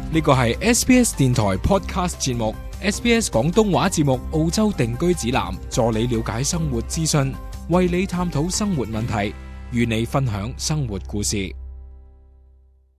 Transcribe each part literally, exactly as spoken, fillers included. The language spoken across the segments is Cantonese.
呢個係 S B S 電台 Podcast 節目 S B S 廣東話節目澳洲定居指南，助你了解生活資訊，為你探討生活問題，與你分享生活故事。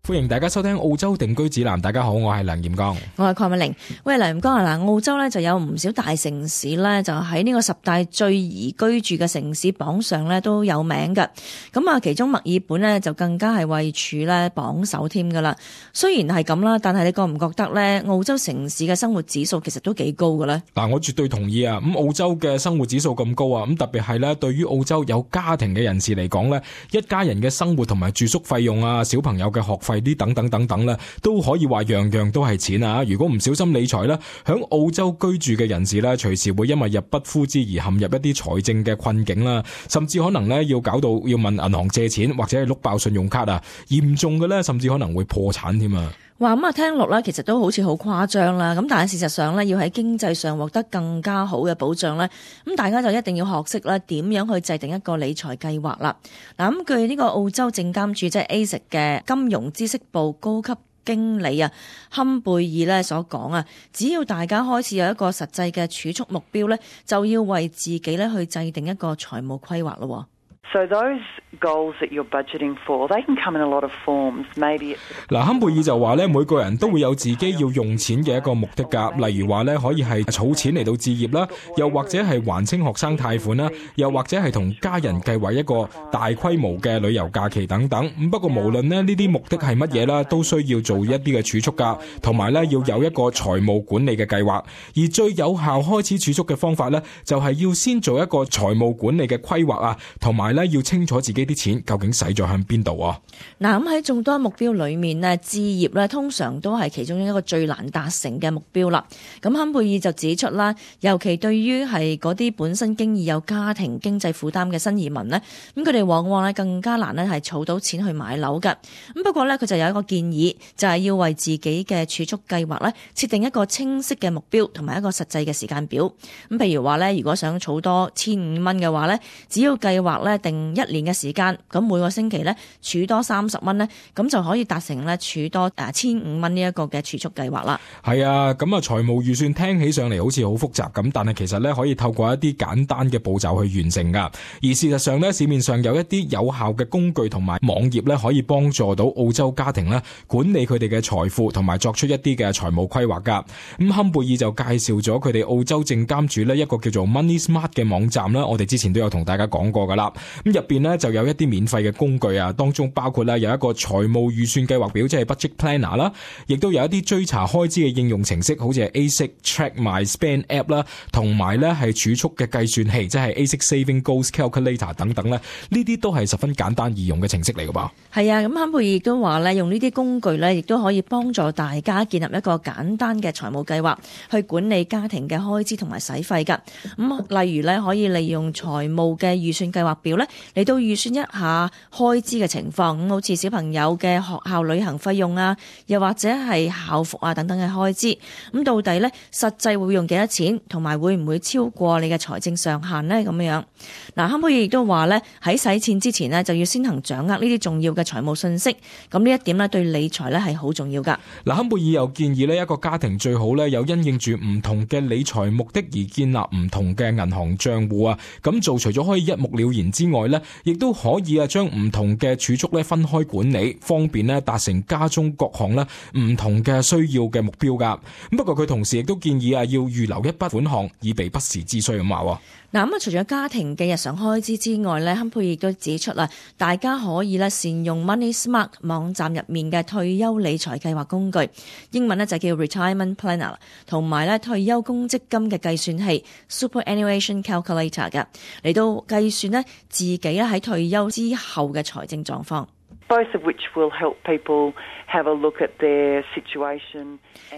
歡迎大家收聽澳洲定居指南。大家好，我係梁炎剛，我係鄺美玲。喂，梁炎剛啊，嗱，澳洲咧就有唔少大城市咧，就喺呢個十大最宜居住嘅城市榜上咧都有名嘅。咁啊，其中墨爾本咧就更加係位處咧榜首添噶啦。雖然係咁啦，但係你覺唔覺得咧，澳洲城市嘅生活指數其實都幾高嘅咧？嗱，我絕對同意啊！咁澳洲嘅生活指數咁高啊，咁特別係咧，對於澳洲有家庭嘅人士嚟講咧，一家人嘅生活同埋住宿費用啊，小朋友嘅學費啲等等等等咧，都可以話樣樣都係錢啊！如果唔小心理財咧，響澳洲居住嘅人士咧，隨時會因為入不敷支而陷入一啲財政嘅困境啦，甚至可能咧要搞到要問銀行借錢或者係碌爆信用卡啊，嚴重嘅咧甚至可能會破產添啊！話咁啊，聽落咧，其實都好似好誇張啦。咁但係事實上咧，要喺經濟上獲得更加好嘅保障咧，咁大家就一定要學識咧點樣去制定一個理財計劃啦。嗱，咁據呢個澳洲證監處即係 A S I C 嘅金融知識部高級經理啊坎貝爾咧所講啊，只要大家開始有一個實際嘅儲蓄目標咧，就要為自己咧去制定一個財務規劃咯。So those goals that you're budgeting for, they can come in a lot of forms. Maybe 嗱，坎貝爾就話咧，每個人都會有自己要用錢嘅一個目的㗎。例如話咧，可以係儲錢嚟到置業啦，又或者係還清學生貸款啦，又或者係同家人計劃一個大規模嘅旅遊假期等等。咁不過無論咧呢啲目的係乜嘢啦，都需要做一啲嘅儲蓄㗎，同埋咧要有一個財務管理嘅計劃。而最有效開始儲蓄嘅方法咧，就係要先做一個財務管理嘅規劃啊，同埋要清楚自己啲錢究竟使咗向邊度啊！嗱，咁喺眾多目標裏面呢，置業咧通常都係其中一個最難達成嘅目標啦。咁坎貝爾就指出啦，尤其對於係嗰啲本身經已有家庭經濟負擔嘅新移民呢，咁佢哋往往咧更加難咧係儲到錢去買樓㗎。咁不過咧，佢就有一個建議，就係要為自己嘅儲蓄計劃咧設定一個清晰嘅目標同埋一個實際嘅時間表。咁譬如話咧，如果想儲多千五蚊嘅話咧，只要計劃咧定一年嘅時間，咁每個星期咧儲多三十蚊咧，咁就可以達成咧儲多誒千五蚊呢一個嘅儲蓄計劃啦。係啊，咁啊財務預算聽起上嚟好似好複雜咁，但係其實咧可以透過一啲簡單嘅步驟去完成噶。而事實上咧，市面上有一啲有效嘅工具同埋網頁咧，可以幫助到澳洲家庭咧管理佢哋嘅財富同埋作出一啲嘅財務規劃噶。咁坎貝爾就介紹咗佢哋澳洲證監處咧一個叫做 Money Smart 嘅網站啦，我哋之前都有同大家講過噶啦。咁入邊咧就有一啲免費嘅工具啊，當中包括咧有一個財務預算計劃表，即係 Budget Planner 啦，亦都有一啲追查開支嘅應用程式，好似係 A S I C Track My Spend App 啦，同埋咧係儲蓄嘅計算器，即係 A S I C Saving Goals Calculator 等等咧，呢啲都係十分簡單易用嘅程式嚟噶噃。係啊，咁坎貝爾亦都話咧，用呢啲工具咧，亦都可以幫助大家建立一個簡單嘅財務計劃，去管理家庭嘅開支同埋使費噶。咁例如咧，可以利用財務嘅預算計劃表咧嚟到預算一下開支嘅情況，咁好似小朋友嘅學校旅行費用啊，又或者係校服啊等等嘅開支，咁到底咧實際會用幾多錢，同埋會唔會超過你嘅財政上限呢？咁樣嗱，坎貝爾亦都話咧，喺使錢之前呢，就要先行掌握呢啲重要嘅財務信息，咁呢一點咧對理財咧係好重要噶。嗱，坎貝爾又建議呢一個家庭最好咧有因應住唔同嘅理財目的而建立唔同嘅銀行賬戶啊，咁做除咗可以一目了然之外咧，亦都可以啊將唔同嘅儲蓄咧分開管理，方便咧達成家中各項咧唔同嘅需要嘅目標噶。咁不過佢同時亦都建議啊要預留一筆款項以備不時之需咁話。嗱，咁啊，除咗家庭嘅日常開支之外咧，坎貝爾亦都指出啦，大家可以咧善用 Money Smart 網站入面嘅退休理財計劃工具，英文咧就叫 Retirement Planner， 同埋咧退休公積金嘅計算器 Superannuation Calculator 嘅，嚟到計算咧自己咧喺退休之後嘅財政狀況。Both of which will help people have a look at their situation.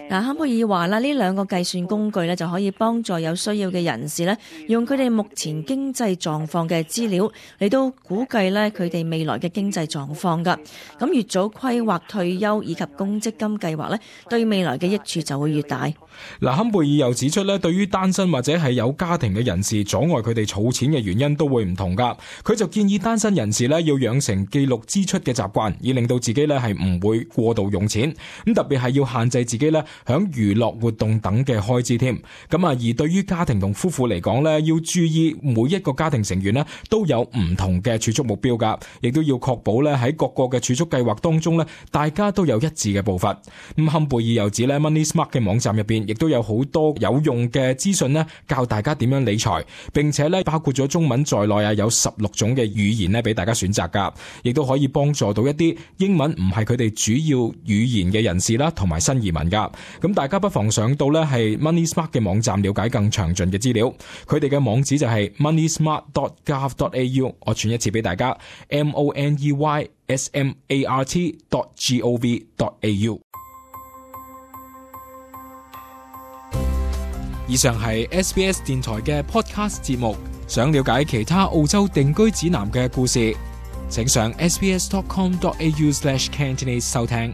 嗱，坎貝爾話啦，呢兩個計算工具咧就可以幫助有需要嘅人士咧，用佢哋目前經濟狀況嘅資料嚟到估計咧佢哋未來嘅經濟狀況噶。咁越早規劃退休以及公積金計劃咧，對未來嘅益處就會越大。嗱，坎貝爾又指出咧，對於單身或者係有家庭嘅人士，阻礙佢哋儲錢嘅原因都會唔同噶。佢就建議單身人士咧要養成記錄支出嘅習慣，以令到自己咧係唔會過度用錢。咁特別係要限制自己咧響娛樂活動等嘅開支添。咁啊，而對於家庭同夫婦嚟講咧，要注意每一個家庭成員咧都有唔同嘅儲蓄目標噶，亦都要確保咧喺各個嘅儲蓄計劃當中咧，大家都有一致嘅步伐。咁坎貝爾又指咧 Money Smart 嘅網站入邊亦都有好多有用嘅資訊咧，教大家點樣理財，並且咧包括咗中文在內啊，有十六種嘅語言咧俾大家選擇噶，亦都可以幫助到一啲英文唔係佢哋主要語言嘅人士啦，同埋新移民噶。咁大家不妨上到咧係 Money Smart 嘅網站了解更詳盡嘅資料。佢哋嘅網址就係 money smart dot gov dot a u， 我傳一次俾大家 m o n e y s m a r t dot gov dot a u。 以上係 S B S 電台嘅 podcast 節目。想了解其他澳洲定居指南嘅故事，請上 s b s dot com dot a u slash cantonese 收聽。